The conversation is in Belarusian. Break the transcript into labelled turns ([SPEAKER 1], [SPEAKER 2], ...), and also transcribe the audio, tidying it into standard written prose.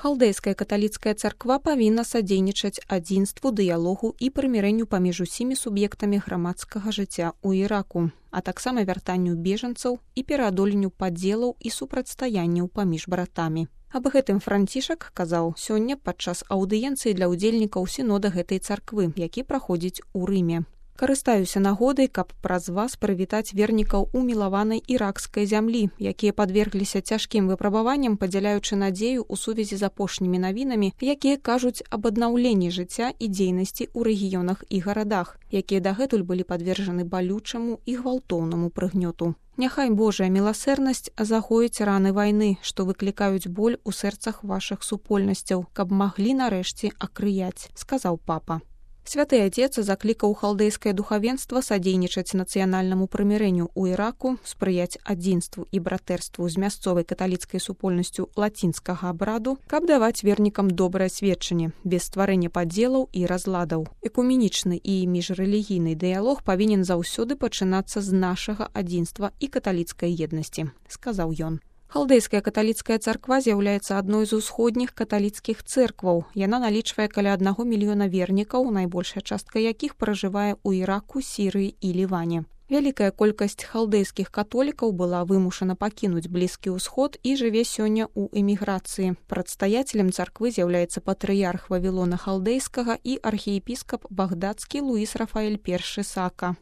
[SPEAKER 1] Халдэйская каталіцкая царква павінна садзейнічаць адзінству, дыялогу і прымірэнню паміж усімі суб'ектамі грамадскага жыцця ў Іраку, а таксама вяртанню бежанцаў і пераадоленню падзелаў і супрацьстаянняў паміж братамі. Аб гэтым Францішак казаў сёння падчас аўдыенцыі для ўдзельнікаў сінода гэтай царквы, які праходзіць у Рыме. Карыстаюся нагодай, каб праз вас прывітаць вернікаў умілаванай іракскай зямлі, якія падвергліся цяжкім выпрабаванням, падзяляючы надзею ў сувязі з апошнімі навінамі, якія кажуць аб аднаўленні жыцця і дзейнасці ў рэгіёнах і гарадах, якія дагэтуль былі падвержаны балючаму і гвалтоўнаму прыгнёту. Няхай Божая міласэрнасць загоіць раны вайны, што выклікаюць боль у сэрцах вашых супольнасцяў, каб маглі нарэшце акрыяць, сказаў папа. Святы Отец заклікаў халдэйскае духавенства садзейнічаць нацыянальнаму прымірэнню ў Іраку, спрыяць адзінству і братэрству з мясцовай каталіцкай супольнасцю лацінскага абраду, каб даваць вернікам добрае сведчанне, без стварэння падзелаў і разладаў. Экуменічны і міжрэлігійны дыялог павінен заўсёды пачынацца з нашага адзінства і каталіцкай еднасці, сказаў ён. Халдэйская каталіцкая царква з'яўляецца адной з усходніх каталіцкіх цэркваў. Яна налічвае каля 1 мільёна вернікаў, найбольшая частка якіх пражывае ў Іраку, Сірыі і Ліване. Вялікая колькасць халдэйскіх католікаў была вымушана пакінуць Блізкі ўсход і жыве сёння ў эміграцыі. Прадстаяцелем царквы з'яўляецца патрыярх Вавілона халдэйскага і архіепіскап багдадскі Луіс Рафаэль I Сака.